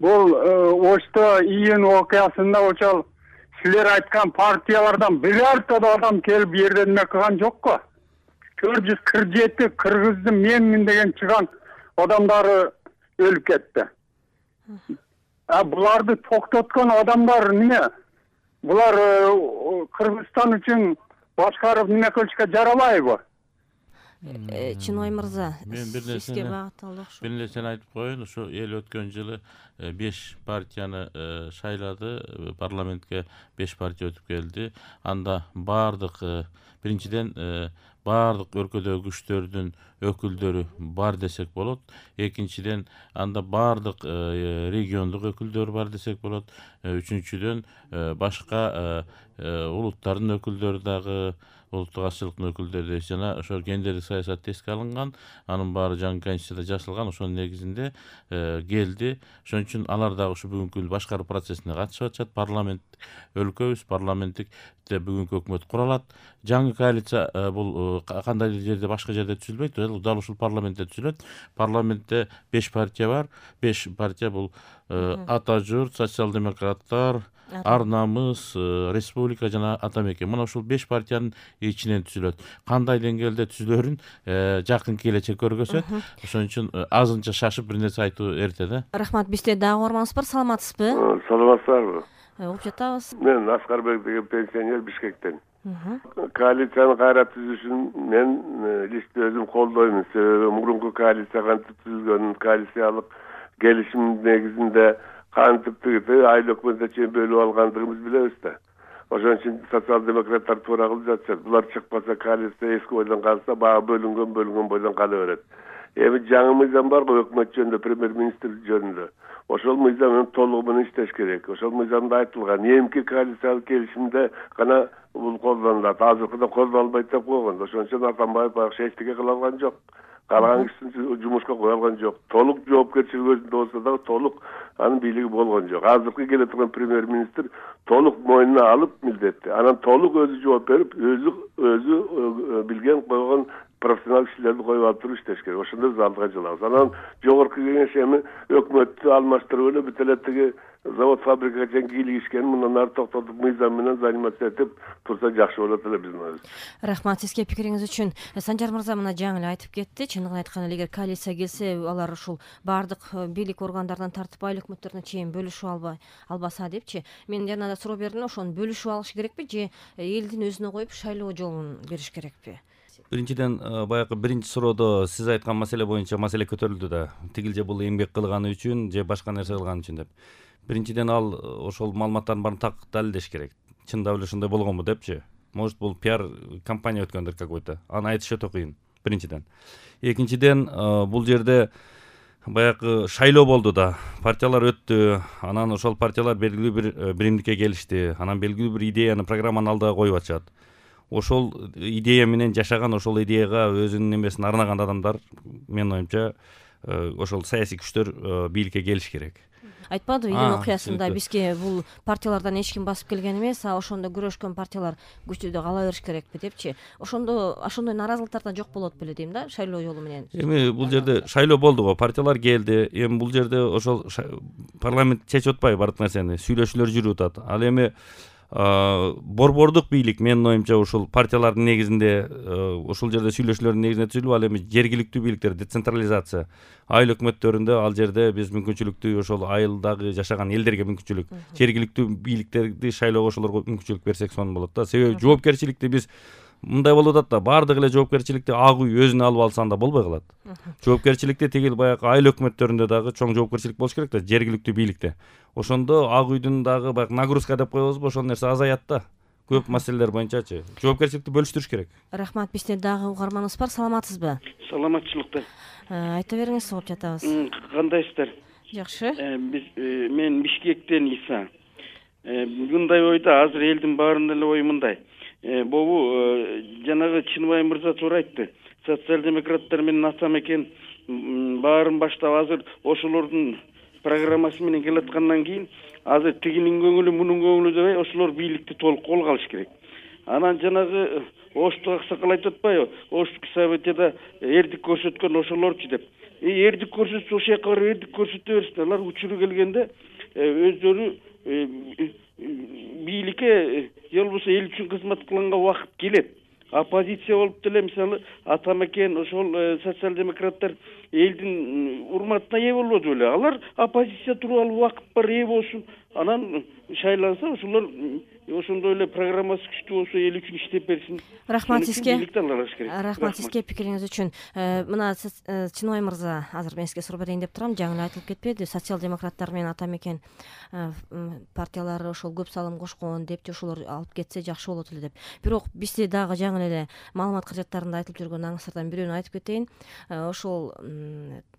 бул Ошто июнь окуясында ошол силер айткан партиялардан birorta да адам келип бу жерде эме кылган жокко. 447 кыргыздын менмин деген чыган адамдары өлүп кетти. Буларды токтоткон адамдар эмне? Булар Кыргызстан үчүн башкарып неме кылышка жарабайбы? Чынбай мырза, мен бир нерсени айтып коеюн. Ушу эл өткөн жылы 5 партияны шайлады, парламентке 5 партия өтүп келди. Анда бардык биринчиден бардык өлкөдөгү күчтөрдүн өкүлдөрү бар десек болот. Экинчиден анда бардык региондук өкүлдөр бар десек болот. Үчүнчүдөн башка улуттардын өкүлдөрү дагы, улуттук азчылыктын өкүлдөрү жана ошо гендердик саясат эске алынган, анын баары жаңы конституцияда жазылган, ошонун негизинде келди. Ошон үчүн алар дагы ушу бүгүнкү башкаруу процессине катышып атышат. Парламент өлкөбүз, парламенттикте бүгүнкү өкмөт куралат. Жаңы коалиция бул кандайдыр жерде башка жерде түзүлбөйт, дал ушул парламентте түзүлөт. Парламентте 5 партия бар. 5 партия бул Ата журт, социал-демократтар, Ар намыс, республика жана Ата мекен. Мына ушул 5 партиянын ичинен түзүлөт. Кандай деңгээлде түзүлөрүн жакын келечек көргөзөт. Ошон үчүн азынча шашып бир нерсе айтуу эрте да. Рахмат, бизде дагы угарманыбыз бар. Саламатсызбы? Саламатсызбы? Угуп жатабыз. Мен Аскарбек деген пенсионер Бишкектен. Коалицияны кайра түзүшүн мен лично өзүм колдоймун. Себеби мурунку коалиция кантип түзүлгөн, коалициялык келишим негизинде кантип айыл өкмөтүнө чейин бөлүп алгандыгыбыз билебиз да. Ошон үчүн социал-демократтар туура кылып жатышат. Булар чыкпаса, коалиция эски бойдон калса, баягы бөлүнгөн бойдон кала берет. Эми жаңы мыйзам барбы өкмөт жөнүндө, премьер-министр жөнүндө. Ошол мыйзам менен толугу менен иштеш керек. Ошол мыйзамда айтылган эмки коалициялык келишимде гана бул колдонулат. Азыркыда колдонулбайт деп койгон. Ошон үчүн Атамбаев баягы эчтеке кыла алган жок. Калган кишини жумушка кое алган жок. Толук жоопкерчилик өзүндө болсо дагы толук анын бийлиги болгон жок. Азыркы келе турган премьер-министр толук мойнуна алып милдетти. Анан толук өзү жооп берип, өзү билген койгон профессионал кишилерди коюп алып туруп иштеш керек. Ошондо биз алдыга жылабыз. Анан жогорку кеңеш эми өкмөттү алмаштырып эле бүт эле тиги завод фабрикага чейин кийлигишкен, мындан ары токтотуп мыйзам менен заниматься этип турса жакшы болот эле биздин оюбуз. Рахмат сизге пикириңиз үчүн. Санжар мырза мына жаңы эле айтып кетти. Чындыгын айтканда эгер коалиция келсе, алар ушул бардык бийлик органдарынан тартып айыл өкмөттөрүнө чейин бөлүшүп албаса депчи. Мен жана да суроо бердим, ошону бөлүшүп алыш керекпи же элдин өзүнө коюп шайлоо жолун бериш керекпи? Биринчиден баягы биринчи суроодо сиз айткан маселе боюнча маселе көтөрүлдү да. Тигил же бул эмгек кылганы үчүн же башка нерсе кылганы үчүн деп. Биринчиден ал ошол маалыматтардын баарын так далилдеш керек. Чындап эле ушундай болгонбу депчи. Может бул пиар компания өткөндүр какой-то. Аны айтыш өтө кыйын. Биринчиден. Экинчиден бул жерде баягы шайлоо болду да. Партиялар өттү. Анан ошол партиялар белгилүү бир биримдикке келишти. Анан белгилүү бир идеяны, программаны алдыга коюп атышат. Ошол идея менен жашаган, ошол идеяга өзүнүн немесин арнаган адамдар, менин оюмча, ошол саясий күчтөр бийликке келиш керек. Айтпадыбы июнь окуясында бизге бул партиялардан эч ким басып келген эмес, ошондо күрөшкөн партиялар күчтү кала бериш керекпи депчи. Ошондой нааразылыктар да жок болот беле дейм да, шайлоо жолу менен. Эми бул жерде шайлоо болду го, партиялар келди. Эми бул жерде ошол парламент чечип атпайбы бардык нерсени, сүйлөшүүлөр жүрүп атат. Ал эми борбордук бийлик менин оюмча ушул партиялардын негизинде ушул жерде сүйлөшүүлөрдүн негизинде түзүлүп, ал эми жергиликтүү бийликтер, децентрализация, айыл өкмөттөрүндө ал жерде биз мүмкүнчүлүктүү ошол айылдагы жашаган элдерге мүмкүнчүлүк, жергиликтүү бийликтерди шайлоого ошолорго мүмкүнчүлүк берсек сонун болот да. Себеби жоопкерчиликти биз мындай болуп атат да, бардык эле жоопкерчиликти ак үй өзүнө алып алса анда болбой калат. Жоопкерчиликти тигил баягы айыл өкмөттөрүндө дагы чоң жоопкерчилик болуш керек да, жергиликтүү бийликте. Ошондо ак үйдүн дагы баягы нагрузка деп коебузбу, ошол нерсе азаят да. Көп маселелер боюнчачы жоопкерчиликти бөлүштүрүш керек. Рахмат, бизде дагы угарманыбыз бар. Саламатсызбы? Саламатчылыкта. Айта бериңиз, угуп жатабыз. Кандайсыздар? Жакшы. Мен Бишкектен Иса. Мындай ойдо, азыр элдин баарынын эле ою мындай. Бобу жанагы Чынбай мырза туура айтты. Социал-демократтар менен Ата мекен баарын баштап азыр ошолордун программасы менен келаткандан кийин азыр тигинин көңүлү, мунун көңүлү дебей, ошолор бийликти толук колго алыш керек. Анан жанагы Ошту аксакал айтып атпайбы? Оштук событияда эрдик көрсөткөн ошолорчу деп. эрдик көрсөтсө ошол жака барып эрдик көрсөтө берсин. Алар учуру келгенде өздөрү бийликке же болбосо эл үчүн кызмат кылганга убакыт келет. Оппозиция болуп деле мисалы Атамекен ошол социал-демократтар элдин урматына ээ болбоду беле. Алар оппозиция туруп алып убакыт бар ээ болсун. Анан шайланса ошолор ошондой эле программасы күчтүү болсо эл үчүн иштеп берсин. Рахмат сизге. Рахмат сизге пикириңиз үчүн. Мына Чыныбай мырза, азыр мен сизге суроо берейин деп турам. Жаңы эле айтылып кетпеди, социал-демократтар менен Атамекен партиялары ошол көп салым кошкон деп, ошолор алып кетсе жакшы болот эле деп. Бирок бизде дагы жаңы эле маалымат каражаттарында айтылып жүргөн аңсырдан бирөөнү айтып кетейин. Ошол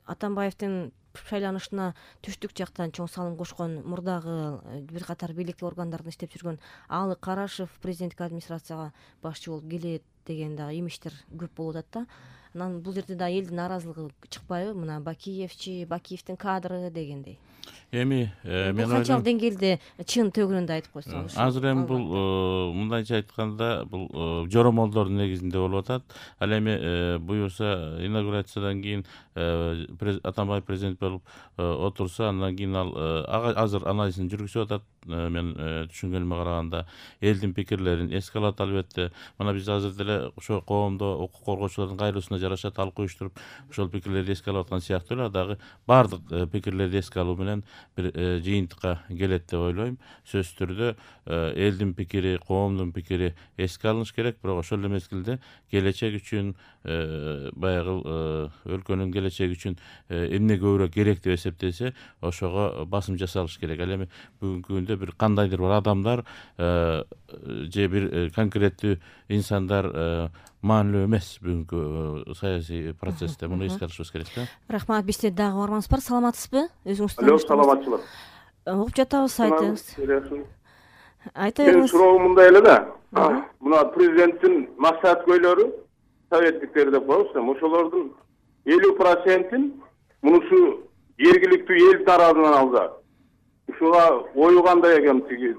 Атамбаевдин шайланышына түштүк жактан чоң салым кошкон мурдагы бир катар бийлик органдарында иштеп жүргөн Алы Карашев президенттик администрацияга башчы болуп келет деген дагы имиштер көп болуп атат да. Анан бул жерде да элдин нааразылыгы чыкпайбы? Мына Бакиевдин кадры дегендей. Эми мен канчалык деңгээлде чын төгүрүндө айтып койсоңуз. Азыр эми бул мындайча айтканда бул жоромолдордун негизинде болуп атат. Ал эми буюрса инаугурациядан кийин Атамбаев президент болуп отурса, андан кийин ал азыр анализин жүргүзүп атат. Мен түшүнгөнүмө караганда элдин пикирлерин эске алат албетте. Мына биз азыр деле ошо коомдо укук коргоочулардын кайрылуусуна жараша талкуу уюштуруп ошол пикирлерди эске алып аткан сыяктуу эле дагы баардык пикирлерди эске алуу менен бир жыйынтыкка келет деп ойлойм. Сөзсүз түрдө элдин пикири, коомдун пикири эске алыныш керек, бирок ошол эле мезгилде келечек үчүн баягы өлкөнүн келечеги үчүн эмне көбүрөөк керек деп эсептесе, ошого басым жасалыш керек. Ал эми бүгүнкү күндө бир кандайдыр бир адамдар же бир конкреттүү инсандар маанилүү эмес бүгүнкү саясий процессте. Муну эске алышыбыз керек да. Рахмат. Бизде дагы бармаңыз бар. Саламатсызбы? Өзүңүз Алло, саламатчылык. Угуп жатабыз, айтыңыз. Айта Мен бериңиз. суроом мындай эле да. Мына президенттин максат көйлөрү советтиктер деп коебуз, ошолордун 50%-ин мунусу жергиликтүү эл тарабынан алса. Ушуга ою кандай экен тиги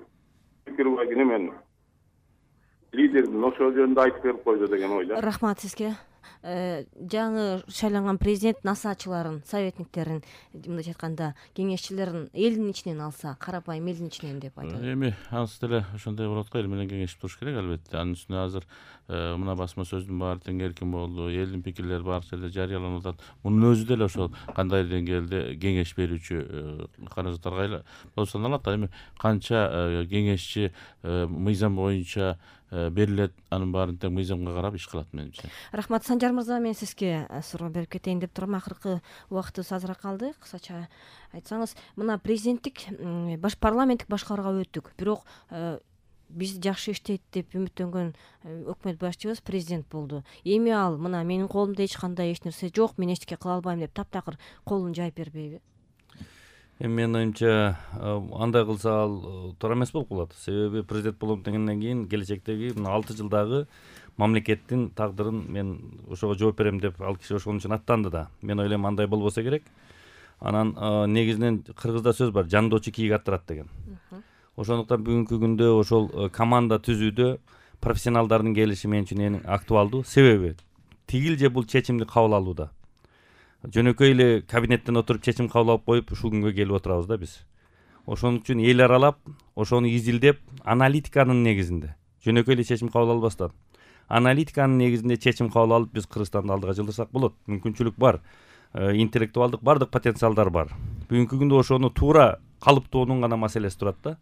пикир бар экен мен. Лидердин ошол жөнүндө айтып берип койду деген ойда. Рахмат сизге. Жаңы шайланган президент насаачыларын, советниктерин, мындайча айтканда, кеңешчилерин элдин ичинен алса, карапайым элдин ичинен деп айтат. Эми анысы деле ошондой болот го, эл менен кеңешип туруш керек албетте. Анын үстүнө азыр мына басма сөздүн баары тең эркин болду, элдин пикирлери баары жерде жарыяланып атат. Мунун өзү деле ошол кандай деңгээлде кеңеш берүүчү каражаттарга болуп саналат. Эми канча кеңешчи мыйзам боюнча берилет, анын баарын тең мыйзамга карап иш кылат менимче. Рахмат. Санжар мырза, мен сизге суроо берип кетейин деп турам. Акыркы убактыбыз азыраак калды. Кысача айтсаңыз, мына президенттик парламенттик башкарууга өттүк. Бирок биз жакшы иштейт деп үмүттөнгөн өкмөт башчыбыз президент болду. Эми ал мына менин колумда эч кандай эч нерсе жок, мен эчтеке кыла албайм деп таптакыр колун жайып бербейби? Эми менин оюмча андай кылса ал туура эмес болуп калат. Себеби президент болом дегенден кийин келечектеги мына 6 жылдагы мамлекеттин тагдырын мен ошого жооп берем деп ал киши ошон үчүн аттанды да. Мен ойлойм андай болбосо керек. Анан негизинен кыргызда сөз бар, жандоочу кийик аттырат деген. Ошондуктан бүгүнкү күндө ошол команда түзүүдө профессионалдардын келиши мен үчүн эң актуалдуу. Себеби тигил же бул чечимди кабыл алууда. Жөнөкөй эле кабинеттен отуруп чечим кабыл алып коюп ушул күнгө келип отурабыз да биз. Ошон үчүн эл аралап, ошону изилдеп, аналитиканын негизинде жөнөкөй эле чечим кабыл албастан, аналитиканын негизинде чечим кабыл алып биз Кыргызстанды алдыга жылдырсак болот. Мүмкүнчүлүк бар. Интеллектуалдык бардык потенциалдар бар. Бүгүнкү күндө ошону туура калыптоонун гана маселеси турат да.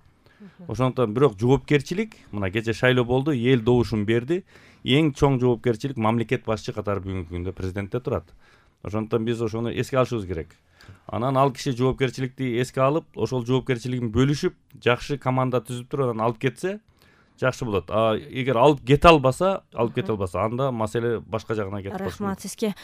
Ошондуктан бирок жоопкерчилик, мына кече шайлоо болду, эл добушун берди. Эң чоң жоопкерчилик мамлекет башчы катары бүгүнкү күндө президентте турат. Ошондуктан биз ошону эске алышыбыз керек. Анан ал киши жоопкерчиликти эске алып, ошол жоопкерчилигин бөлүшүп, жакшы команда түзүп туруп анан алып кетсе жакшы болот. Эгер алып кете албаса, анда маселе башка жагына кетет. Рахмат сизге.